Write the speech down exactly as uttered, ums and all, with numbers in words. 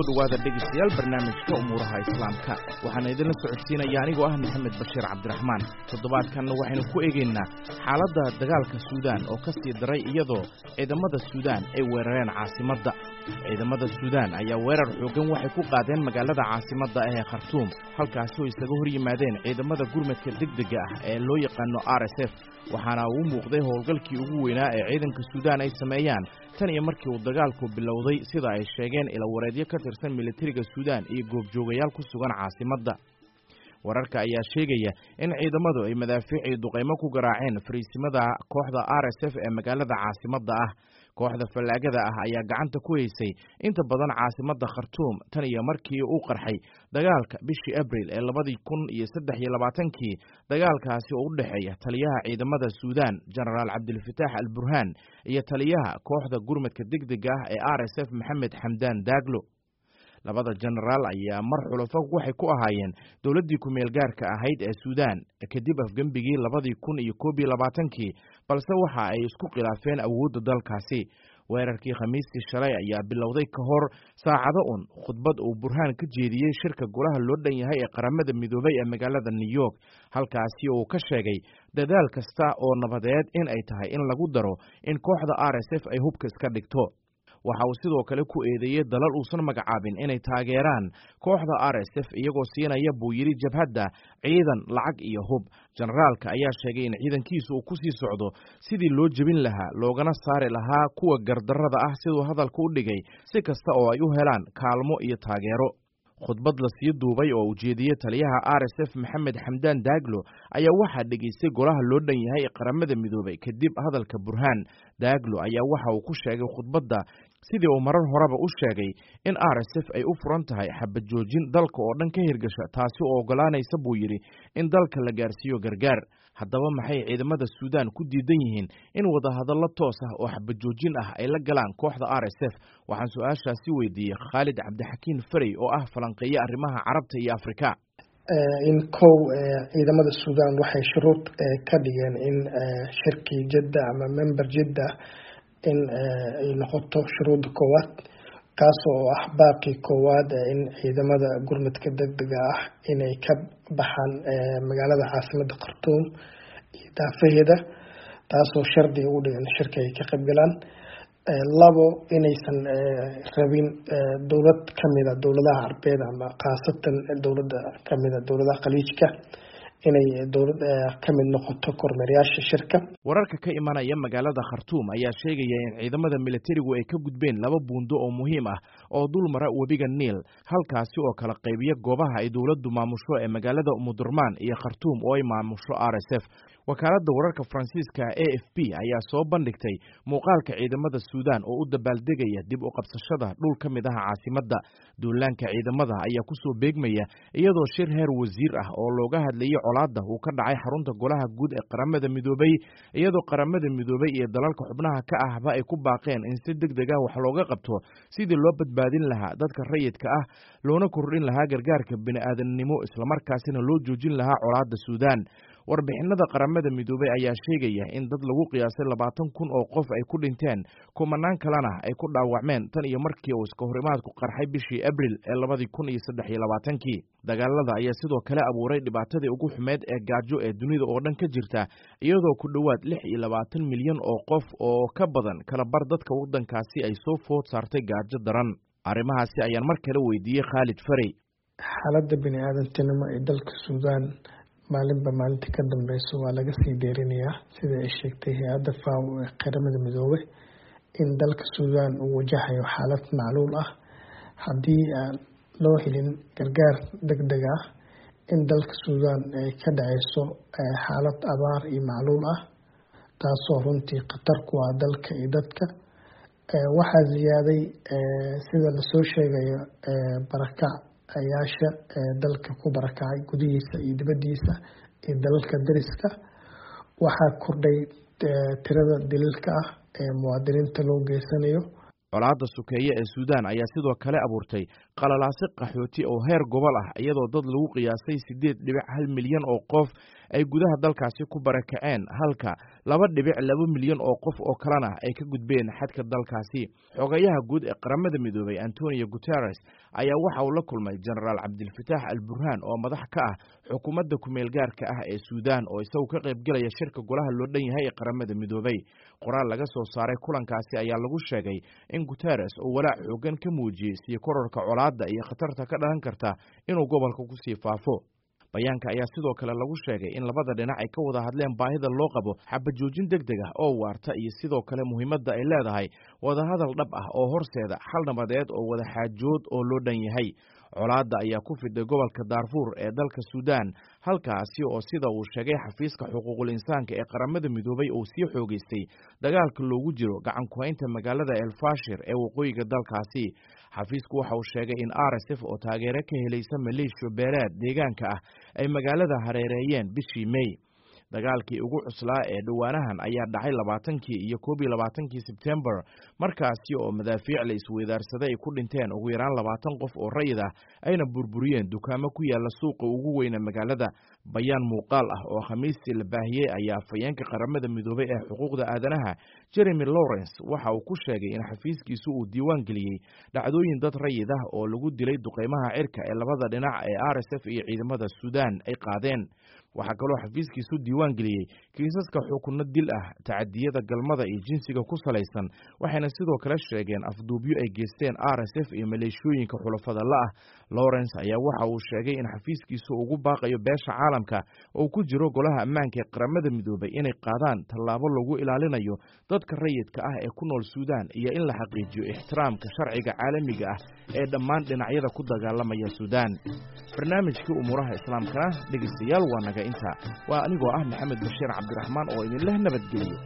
Kusoo dhowaada, dhegeystayaal, barnaamijka Umuuraha Islaamka. Waxaana idinla socodsiinaya anigoo ah Maxamed Bashiir Cabdiraxmaan. Toddobaadkanna waxaynu ku eegaynaa xaaladda dagaalka Suudaan oo ka sii daray, iyadoo ciidamada Suudaan ay weerareen caasimadda. Ciidamada Suudaan ayaa weerar xooggan waxay ku qaadeen magaalada caasimadda ah ee Khartuum, halkaasi oo isaga hor yimaadeen ciidamada gurmadka degdega ah ee loo yaqaano R S F. Waxaana uu muuqday howlgalkii ugu weynaa ee ciidanka Suudaan ay sameeyaan tan iyo markii uu dagaalku bilowday, sida ay sheegeen ilawareedyo ka tirsan militariga Suudaan iyo goobjoogayaal ku sugan caasimadda. Wararka ayaa sheegaya in ciidamadu ay madaafiic iyo duqaymo ku garaaceen fariisimada kooxda R S F ee magaalada caasimadda ah. Kooxda fallaagada ah ayaa gacanta ku haysay inta badan caasimadda Khartuum tan iyo markii uu qarxay dagaalka bishii Abril ee labadii kun iyo saddex iyo labaatankii, dagaalkaasi oo u dhexeeya taliyaha ciidamada Suudaan, Jenaraal Cabdilfataax Al Burhaan, iyo taliyaha kooxda gurmadka degdega ah ee R S F, Maxamed Xamdaan Daaglo. Labada jenaraal ayaa mar xulafo waxay ku ahaayeen dowladdii ku-meel gaarka ahayd ee Suudaan kadib afgembigii labadii kun iyo koob iyo labaatankii, balse waxa ay isku khilaafeen awoodda dalkaasi. Weerarkii Khamiistii shalay ayaa bilowday ka hor saacado un khudbad uu Burhaan ka jeediyey shirka golaha loo dhan yahay ee Qaramada Midoobay ee magaalada New York, halkaasi uu ka sheegay dadaal kasta oo nabadeed in ay tahay in lagu daro in kooxda R S F ay hubka iska dhigto. Waxa uu sidoo kale ku eedeeyey dalal uusan magacaabin inay taageeraan kooxda R S F, iyagoo siinaya, buu yidhi, jabhadda ciidan, lacag iyo hub. Jenaraalka ayaa sheegay in ciidankiisu uu ku sii socdo sidii loo jebin lahaa loogana saari lahaa kuwa gardarrada ah, siduu hadalka u dhigay, si kasta oo ay u helaan kaalmo iyo taageero. Khudbad la sii duubay oo ujeediyey taliyaha R S F, Maxamed Xamdaan Daaglo, ayaa waxaa dhegaystay golaha loo dhan yahay ee Qaramada Midoobay. Kadib hadalka Burhaan, Daaglo ayaa waxa uu ku sheegay khudbadda, sidii uu marar horeba u sheegay, in R S F ay u furan tahay xabad joojin dalka oo dhan ka hirgasha, taasi oo oggolaanaysa, buu yidhi, in dalka la gaarsiiyo gargaar. Haddaba, maxay ciidamada Suudaan ku diidan yihiin in wadahadallo toos ah oo xabad joojin ah ay la galaan kooxda R S F? Waxaan su-aashaasi weydiiyey Khaalid Cabdixakiin Farey oo ah falanqeeye arrimaha Carabta iyo Afrika. In kow, ciidamada Suudaan waxay shuruud ka dhigeen in shirkii Jadda ama member Jidda in ay noqoto shuruudda koowaad, kaas oo ah baaqii koowaad in ciidamada gurmadka degdega ah inay ka baxaan magaalada caasimadda Khartuum iyo daafaheeda, taasoo shardi ugu dhigan shirka ay ka qayb galaan. Labo, inaysan rabin dowlad kamida dowladaha Carbeed ama khaasatan dowladda kamida dowladaha Khaliijka inay dowlad kamid noqoto kormeerayaasha shirka. Wararka ka imanaya magaalada Khartuum ayaa sheegaya in ciidamada militarigu ay ka gudbeen laba buundo oo muhiim ah oo dul mara webiga Niil, halkaasi oo kala qaybiya goobaha ay dowladdu maamusho ee magaalada Umudurmaan iyo Khartuum oo ay maamusho R S F. Wakaaladda wararka Faransiiska A F P ayaa soo bandhigtay muuqaalka ciidamada Suudaan oo u dabaaldegaya dib u qabsashada dhul ka mid ah caasimadda. Duulaanka ciidamada ayaa kusoo beegmaya iyadoo shir heer wasiir ah oo looga hadlayay colaadda uu ka dhacay xarunta golaha guud ee Qaramada Midoobay, iyadoo Qaramada Midoobay iyo dalalka xubnaha ka ahba ay ku baaqeen in si deg deg ah wax looga qabto sidii loo badbaadin lahaa dadka rayidka ah, loona kordhin lahaa gargaarka bini'aadamnimo, islamarkaasina loo joojin lahaa colaadda Suudaan. Warbixinada Qaramada Midoobay ayaa sheegaya in dad lagu qiyaasay labaatan kun oo qof ay ku dhinteen, kumanaan kalena ay ku dhaawacmeen tan iyo markii uu iska horimaadku qarxay bishii Abril ee labadii kun iyo saddex iyo labaatankii. Dagaalada ayaa sidoo kale abuuray dhibaatadii ugu xumeed ee gaajo ee dunida oo dhan ka jirta, iyadoo ku dhowaad lix iyo labaatan milyan oo qof oo ka badan kala bar dadka waddankaasi ay soo food saartay gaajo daran. Arrimahaasi ayaan mar kale weydiiyey Khaalid Farey. Xaaladda bini aadantinimo ee dalka Suudaan maalinba maalinta ka dambeyso waa laga sii deerinayaa, sida ay sheegtay hay-adda FAO ee Qaramada Midoobay, in dalka Suudaan uu wajahayo xaalad macluul ah haddii aan loo helin gargaar degdeg ah, in dalka Suudaan ay ka dhaceyso xaalad abaar iyo macluul ah, taasoo runtii khatar ku ah dalka iyo dadka. Waxaa ziyaaday, sida lasoo sheegayo, barakacayaasha dalka ku barakacay gudihiisa iyo dibadiisa iyo dalalka dariska. Waxaa kordhay tirada dilalka ah ee muwaadiniinta loo geysanayo. Colaadda sokeeye ee Suudaan ayaa sidoo kale abuurtay qalalaase qaxooti oo heer gobol ah, iyadoo dad lagu qiyaasay siddeed dhibic hal milyan oo qof ay gudaha dalkaasi ku barakaceen, halka laba dhibic laba milyan oo qof oo kalena ay ka gudbeen xadka dalkaasi. Xogayaha guud ee Qaramada Midoobay Antonio Guterres ayaa waxa uu la kulmay Jenaraal Cabdilfataax Al Burhaan oo madax ka ah xukuumadda kumeel gaarka ah ee Suudaan, oo isagu ka qaybgelaya shirka golaha loo dhan yahay ee Qaramada Midoobay. Qoraal laga soo saaray kulankaasi ayaa lagu sheegay in Guterres uu walaac xooggan ka muujiyey sii kororka colaadda iyo khatarta ka dhalan karta inuu gobolka kusii faafo. Bayaanka ayaa sidoo kale lagu sheegay in labada dhinac ay ka wada hadleen baahida loo qabo xabajoojin deg deg ah oo waarta iyo sidoo kale muhiimadda ay leedahay wadahadal dhab ah oo horseeda xal nabadeed oo wada xaajood oo loo dhan yahay. Colaadda ayaa ku fiday gobolka Daarfuur ee dalka Suudaan, halkaasi oo sida uu sheegay xafiiska xuquuqul insaanka ee Qaramada Midoobay uu sii xoogeystay dagaalka loogu jiro gacan ku-haynta magaalada El Fashir ee waqooyiga dalkaasi. Xafiisku waxa uu sheegay in R S F oo taageero ka helaysa maleeshiyo beeleed deegaanka ah ay magaalada hareereeyeen bishii May. Dagaalkii ugu cuslaa ee dhowaanahan ayaa dhacay labaatankii iyo koob iyo labaatankii Sebtembar, markaasi oo madaafiic la isweydaarsaday ay ku dhinteen ugu yaraan labaatan qof oo rayid ah, ayna burburiyeen dukaamo ku yaala suuqa ugu weyna magaalada. Bayaan muuqaal ah oo Khamiistii la baahiyey ayaa afhayeenka Qaramada Midoobay ee xuquuqda aadanaha Jeremy Lawrence waxa uu ku sheegay in xafiiskiisu uu diiwaan geliyey dhacdooyin dad rayid ah oo lagu dilay duqeymaha cirka ee labada dhinac ee R S F iyo ciidamada Suudaan ay qaadeen. Waxaa kaloo xafiiskiisu diiwaan geliyey kiisaska xukunno dil ah, tacadiyada galmada iyo jinsiga ku salaysan, waxayna sidoo kale sheegeen afduubyo ay geysteen R S F iyo maleeshiyooyinka xulafada la ah. Lawrence ayaa waxa uu sheegay in xafiiskiisu ugu baaqayo beesha caalamka oo ku jiro Golaha Ammaanka ee Qaramada Midoobay inay qaadaan tallaabo lagu ilaalinayo dadka rayidka ah ee ku nool Suudaan iyo in la xaqiijiyo ixtiraamka sharciga caalamiga ah ee dhammaan dhinacyada ku dagaalamaya Suudaan. Barnaamijkii umuuraha islaamkana, dhegeystayaal, waa naga inta. Waa anigoo ah Maxamed Bashiir Cabdiraxmaan oo idinleh nabadgeliyo.